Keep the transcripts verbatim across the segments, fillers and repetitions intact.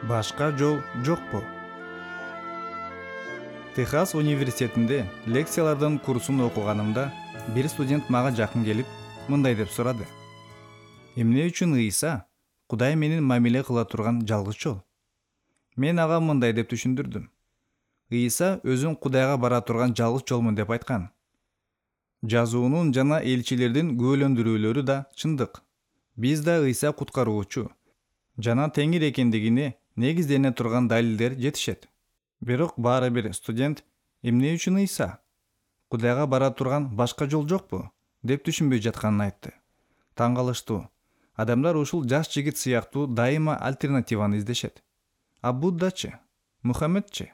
Башка жол жокпу? Техас университетинде лекциялардын курсун окуганымда бир студент мага жакын келип, мындай деп сурады. Эмне үчүн Ыйса Кудай менен мамиле кыла турган жалгыз жол? Мен ага мындай деп түшүндүрдүм. Ыйса өзүн Кудайга бара турган жалгыз жолмун деп айткан. Жазуунун жана элчилердин күбөлөндүрүүлөрү да чындык. Биз да Ыйса куткаруучу жана Теңир экендигине негиздене турган далилдер жетишет. Бирок баары бир студент эмне үчүн Ыйса Кудайга бара турган башка жол жокпу деп түшүнбөй жатканын айтты. Таң калыштуу. Адамдар ушул жаш жигит сыяктуу дайыма альтернативаны издешет. А Буддачы, Мухаммедчи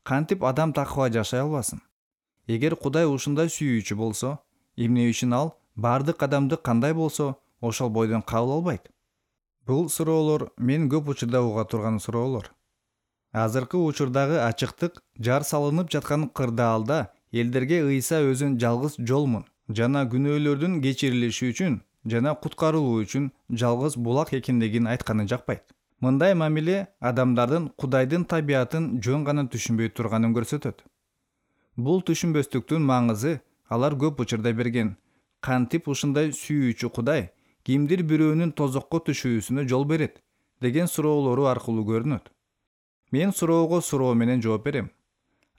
кантип адам такыба жашай албасын? Эгер Кудай ушундай сүйүүчү болсо, эмне үчүн ал бардык адамды кандай болсо ошол бойдон кабыл албайт? Бул суроолор мен көп учурда уга турган суроолор. Азыркы учурдагы ачыктык жар салынып жаткан кырдаалда элдерге Ыйса өзүн жалгыз жолмун жана күнөөлөрдүн кечирилиши үчүн жана куткарылуу үчүн жалгыз булак экендигин айтканы жакпайт. Мындай мамиле адамдардын Кудайдын табиятын жөн гана түшүнбөй турганын көрсөтөт. Бул түшүнбөстүктүн маңызы алар көп учурда берген. Кантип ушундай сүйүүчү Кудай кимдир бирөөнүн тозокко түшүүсүнө жол берет деген суроолору аркылуу көрүнөт. Мен суроого суроо менен жооп берем.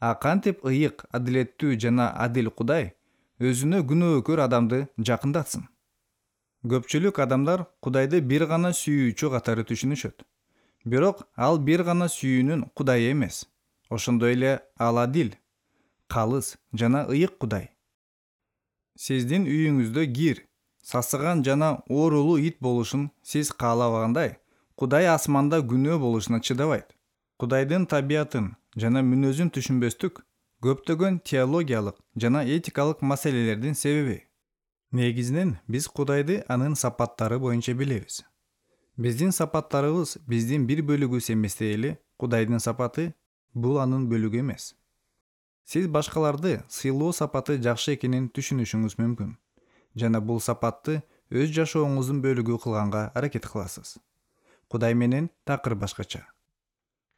А кантип ыйык, адилеттүү жана адил Кудай өзүнө күнөөкөр адамды жакындатсын? Көпчүлүк адамдар Кудайды бир гана сүйүүчү катары түшүнүшөт. Бирок ал бир гана сүйүүнүн Кудайы эмес. Ошондой эле ал адил, калыс жана ыйык Кудай. Сиздин үйүңүздө кир, сасыган жана оорулуу ит болушун сиз каалабагандай, Кудай асманда күнөө болушуна чыдабайт. Кудайдын табиятын жана мүнөзүн түшүнбөстүк көптөгөн теологиялык жана этикалык маселелердин себеби. Негизинен биз Кудайды анын сапаттары боюнча билебиз. Биздин сапаттарыбыз биздин бир бөлүгүбүз эместей эле Кудайдын сапаты бул анын бөлүгү эмес. Сиз башкаларды сыйлоо сапаты жакшы экенин түшүнүшүңүз мүмкүн жана бул сапатты өз жашооңуздун бөлүгү кылганга аракет кыласыз. Кудай менен такыр башкача.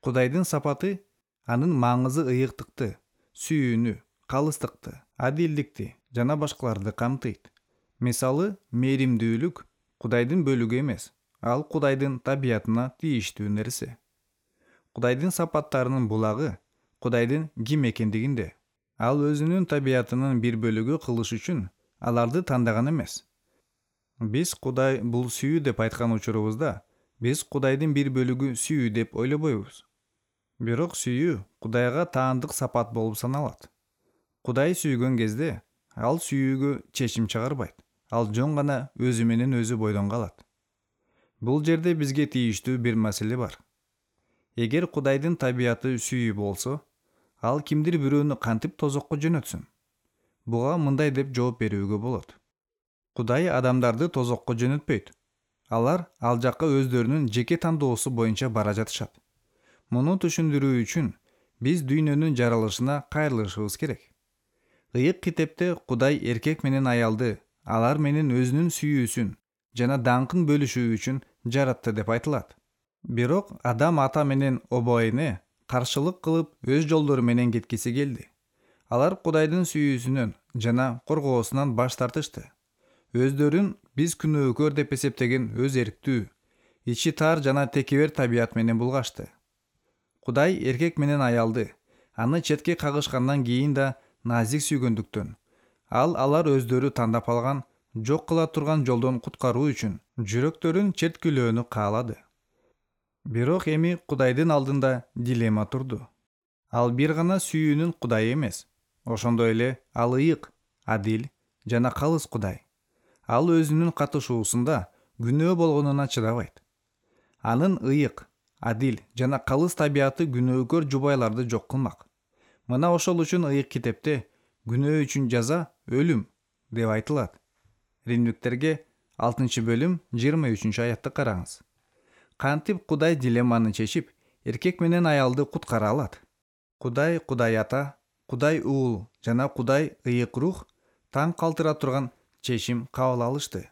Кудайдын сапаты анын маңызы ыйыктыкты, сүйүүнү, калыстыкты, адилдикти жана башкаларды камтыйт. Мисалы, мээримдүүлүк Кудайдын бөлүгү эмес, ал Кудайдын табиятына тийиштүү нерсе. Кудайдын сапаттарынын булагы Кудайдын ким экендигинде. Ал өзүнүн табиятынын бир бөлүгү кылыш үчүн аларды тандаган эмес. Биз Кудай бул сүйүү деп айткан учурубузда, биз Кудайдын бир бөлүгү сүйүү деп ойлобойбуз. Бирок сүйүү Кудайга таандык сапат болуп саналат. Кудай сүйгөн кезде ал сүйүүгө чечим чыгарбайт. Ал жөн гана өзү менен өзү бойдон калат. Бул жерде бизге тийиштүү бир маселе бар. Эгер Кудайдын табияты сүйүү болсо, ал кимдир бирөөнү кантип тозокко жөнөтсүн? Буга мындай деп жооп берүүгө болот. Кудай адамдарды тозокко жөнөтпөйт. Алар ал жакка өздөрүнүн жеке тандоосу боюнча бара жатышат. Муну түшүндүрүү үчүн биз дүйнөнүн жаралышына кайрылышыбыз керек. Ыйык китепте Кудай эркек менен аялды алар менен өзүнүн сүйүүсүн жана даңкын бөлүшүү үчүн жаратты деп айтылат. Бирок Адам ата менен обоэне каршылык кылып өз жолдору менен кеткиси келди. Алар Кудайдын сүйүүсүнөн жана коргоосунан баш тартышты. Өздөрүн биз күнөөкөр деп эсептеген өз эрктүү, ичи тар жана текебер табият менен булгашты. Кудай эркек менен аялды аны четке кагышкандан кийин да назик сүйгөндүктөн, ал алар өздөрү тандап алган, жок кыла турган жолдон куткаруу үчүн жүрөктөрүн черткилөөнү каалады. Бирок эми Кудайдын алдында дилемма турду. Ал бир гана сүйүүнүн Кудайы эмес. Ошондой эле ал ыйык, адил жана калыс Кудай. Ал өзүнүн катышуусунда күнөө болгонуна чыдабайт. Анын ыйык, адил жана калыс табияты күнөөкөр жубайларды жок кылмак. Мына ошол үчүн ыйык китепте күнөө үчүн жаза өлүм деп айтылат. Римдиктерге алтынчы бөлүм жыйырма үчүнчү аятты караңыз. Кантип Кудай дилемманы чечип, эркек менен аялды куткара алат? Кудай Кудай ата, Кудай уул жана Кудай ыйык рух таң калтыра турган чечим кабыл алышты.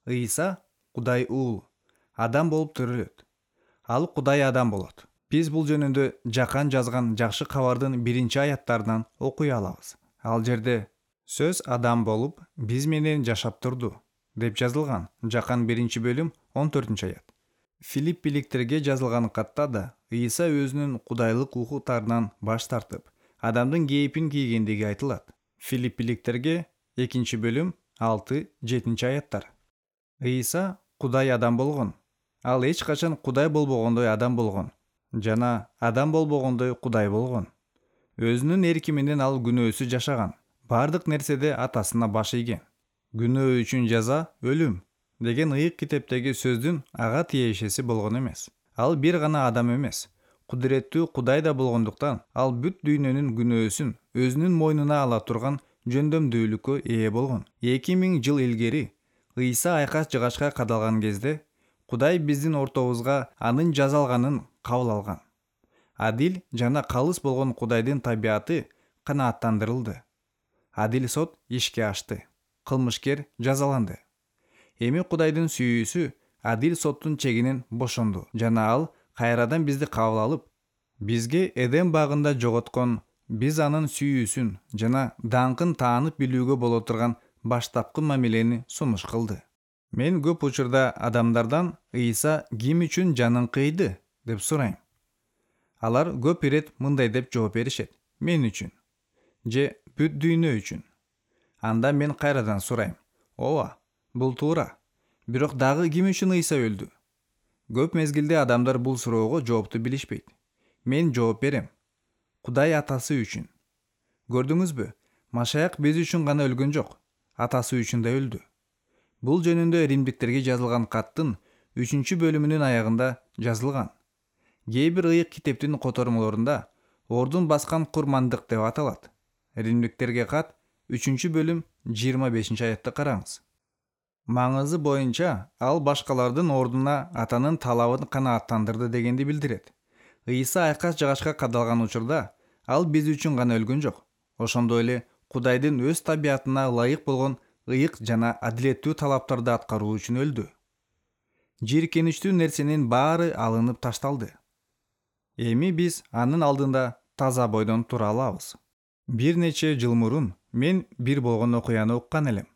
Ыйса Кудай уул, адам болуп төрөлөт. Ал Кудай адам болот. Биз бул жөнүндө Жакан жазган жакшы кабардын биринчи аяттарынан окуй алабыз. Ал жерде сөз адам болуп биз менен жашап турду деп жазылган. Жакан биринчи бөлүм он төртүнчү аят. Филиппиликтерге жазылган катта да Ыйса өзүнүн кудайлык укуктарынан баш тартып, адамдын кейпин кийгендиги айтылат. Филиппиликтерге экинчи бөлүм алты жетинчи аяттар. Ыйса Кудай адам болгон. Ал эч качан Кудай болбогондой адам болгон жана адам болбогондой Кудай болгон. Өзүнүн эрки менен ал күнөөсүз жашаган. Бардык нерседе атасына баш ийген. Күнөө үчүн жаза өлүм деген ыйык китептеги сөздүн ага тиешеси болгон эмес. Ал бир гана адам эмес, кудуреттүү Кудай да болгондуктан ал бүт дүйнөнүн күнөөсүн өзүнүн мойнуна ала турган жөндөмдүүлүккө ээ болгон. эки миң жыл илгери Ыйса айкас жыгачка кадалган кезде Кудай биздин ортобузга анын жазалганын кабыл алган. Адил жана калыс болгон Кудайдын табияты канааттандырылды. Адил сот ишке ашты. Кылмышкер жазаланды. Эми Кудайдын сүйүүсү адил соттун чегинен бошонду жана ал кайрадан бизди кабыл алып, бизге Эдем багында жоготкон биз анын сүйүүсүн жана даңкын таанып билүүгө боло турган баштапкы мамилени сунуш кылды. Мен көп учурда адамдардан Ыйса ким үчүн жанын кыйды деп сурайм. Алар көп ирет мындай деп жооп беришет: мен үчүн же бүт дүйнө үчүн. Анда мен кайрадан сурайм: ооба, бул туура. Бирок дагы ким үчүн Ыйса өлдү? Көп мезгилде адамдар бул суроого жоопту билишпейт. Мен жооп берем: Кудай атасы үчүн. Көрдүңүзбү? Машаяк биз үчүн гана өлгөн жок, атасы үчүн да өлдү. Бул жөнүндө Римдиктерге жазылган каттын үчүнчү бөлүмүнүн аягында жазылган. Кээ бир ыйык китептин котормолорунда ордун баскан курмандык деп аталат. Римдиктерге кат үчүнчү бөлүм жыйырма бешинчи аятты караңыз. Маңызы боюнча ал башкалардын ордуна атанын талабын канааттандырды дегенди билдирет. Ыйса айкас жыгачка кадалган учурда ал биз үчүн гана өлгөн жок. Ошондой эле Кудайдын өз табиятына ылайык болгон ыйык жана адилеттүү талаптарды аткаруу үчүн өлдү. Жийиркеничтүү нерсенин баары алынып ташталды. Эми биз анын алдында таза бойдон тура алабыз. Бир нече жыл мурун мен бир болгон окуяны уккан элем.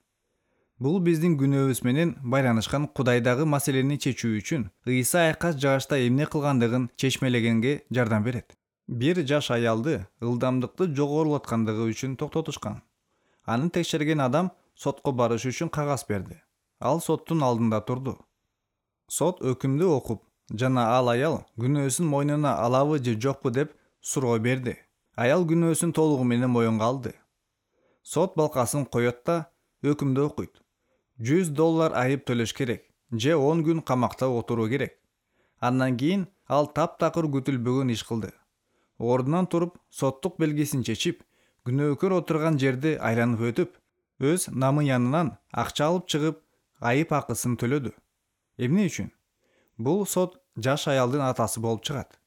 Бул биздин күнөөбүз менен байланышкан Кудайдагы маселени чечүү үчүн Ыйса айкас жыгачта эмне кылгандыгын чечмелегенге жардам берет. Бир жаш аялды ылдамдыкты жогорулаткандыгы үчүн токтотушкан. Аны текшерген адам сотко барыш үчүн кагаз берди. Ал соттун алдында турду. Сот өкүмдү окуп, жана ал аял күнөөсүн мойнуна алабы же жокпу деп суроо берди. Аял күнөөсүн толугу менен моюнга алды. Сот балкасын коет да өкүмдү окуйт. жүз доллар айып төлөш керек же он күн камакта отуруу керек. Андан кийин ал таптакыр күтүлбөгөн иш кылды. Ордунан туруп, соттук белгисин чечип, күнөөкөр отурган жерди айланып өтүп, өз намы янынан акча алып чыгып, айып акысын төлөдү. Эмне үчүн? Бул сот жаш аялдын атасы болуп чыгат.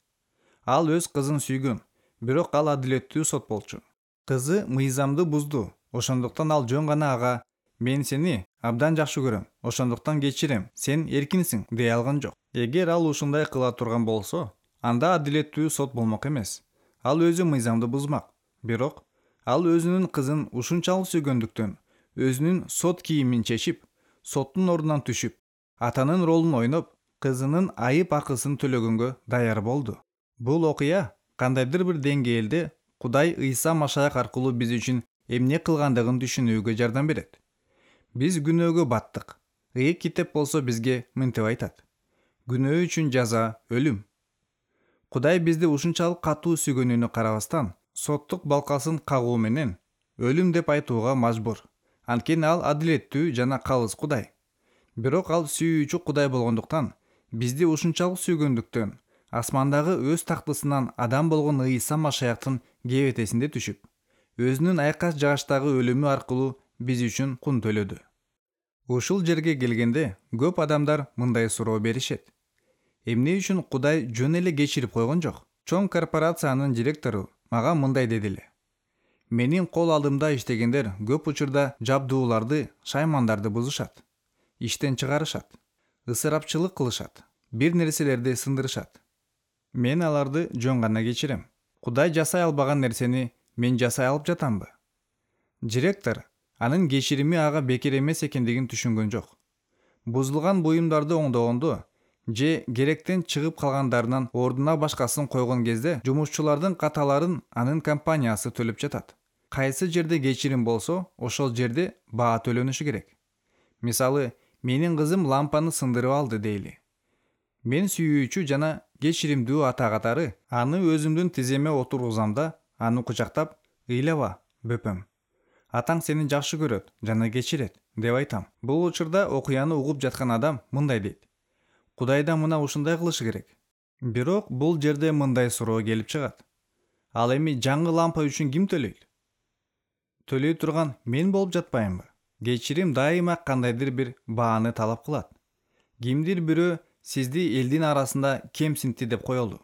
Ал өз кызын сүйгөн, бирок ал адилеттүү сот болчу. Кызы мыйзамды бузду. Ошондуктан ал жөн гана ага: мен сени абдан жакшы көрөм, ошондуктан кечирем, сен эркинсиң, дей алган жок. Эгер ал ушундай кыла турган болсо, анда адилеттүү сот болмок эмес. Ал өзү мыйзамды бузмак. Бирок ал өзүнүн кызын ушунчалык сүйгөндүктөн өзүнүн сот кийимин чечип, соттун ордунан түшүп, атанын ролун ойноп, кызынын айып акысын төлөгөнгө даяр болду. Бул окуя кандайдыр бир деңгээлде Кудай Ыйса Машаяк аркылуу биз үчүн эмне кылгандыгын түшүнүүгө жардам берет. Биз күнөөгө баттык. Ыйык китеп болсо бизге мынтип айтат: күнөө үчүн жаза өлүм. Кудай бизди ушунчалык катуу сүйгөнүнө карабастан, соттук балкасын кагуу менен өлүм деп айтууга мажбур. Анткени ал адилеттүү жана калыс Кудай. Бирок ал сүйүүчү Кудай болгондуктан, бизди ушунчалык сүйгөндүктөн, асмандагы өз тактысынан адам болгон Ыйса Машаяктын кебетесинде түшүп, өзүнүн айкас жыгачтагы өлүмү аркылуу биз үчүн кун төлөдү. Ушул жерге келгенде көп адамдар мындай суроо беришет: эмне үчүн Кудай жөн эле кечирип койгон жок? Чоң корпорациянын директору мага мындай дедиле: менин кол алдымда иштегендер көп учурда жабдууларды, шаймандарды бузушат, иштен чыгарышат, ысырапчылык кылышат. бир нерселерди сындырышат. Мен аларды жөн гана кечирем. Кудай жасай албаган нерсени мен жасай алып жатамбы? Директор анын кечирими ага бекер эмес экендигин түшүнгөн жок. Бузулган буюмдарды оңдогондо же керектен чыгып калгандарынан ордуна башкасын койгон кезде жумушчулардын каталарын анын компаниясы төлөп жатат. Кайсы жерде кечирим болсо, ошол жерде баа төлөнүшү керек. Мисалы, менин кызым лампаны сындырып алды дейли. Мен сүйүүчү жана кечиримдүү ата катары аны өзүмдүн тиземе отургузам да, аны кучактап, ыйлаба, бөпөм. Атаң сени жакшы көрөт жана кечирет, деп айтам. Бул учурда окуяны угуп жаткан адам мындай дейт: Кудай да мына ушундай кылышы керек. Бирок бул жерде мындай суроо келип чыгат. Ал эми жаңы лампа үчүн ким төлөйт? Төлөй турган мен болуп жатпаймынбы? Кечирим дайыма кандайдыр бир бааны талап кылат. Кимдир бирөө сизди элдин арасында кемсинтти деп коелу.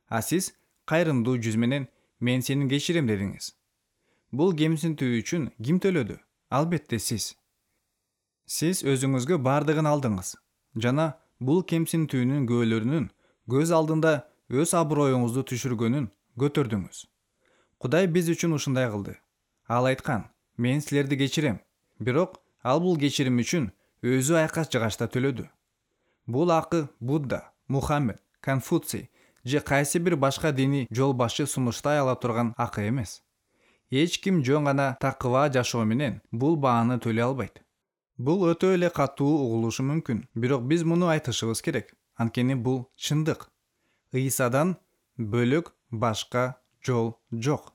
А сиз кайрымдуу жүз менен мен сени кечирем дедиңиз. Бул кемсинтүү үчүн ким төлөдү? Албетте сиз. Сиз өзүңүзгө бардыгын алдыңыз жана бул кемсинтүүнүн күбөлөрүнүн көз алдында өз аброюңузду түшүргөнүн көтөрдүңүз. Кудай биз үчүн ушундай кылды. Ал айткан: мен силерди кечирем. Бирок ал бул кечирим үчүн өзү айкаш жыгачта төлөдү. Бул акы Будда, Мухаммед, Конфуций же кайсы бир башка диний жол башчы сунуштай ала турган акы эмес. Эч ким жөн гана такыба жашоо менен бул бааны төлөй албайт. Бул өтө эле катуу угулушу мүмкүн, бирок биз муну айтышыбыз керек. Анткени бул чындык. Ыйсадан бөлөк башка жол жок.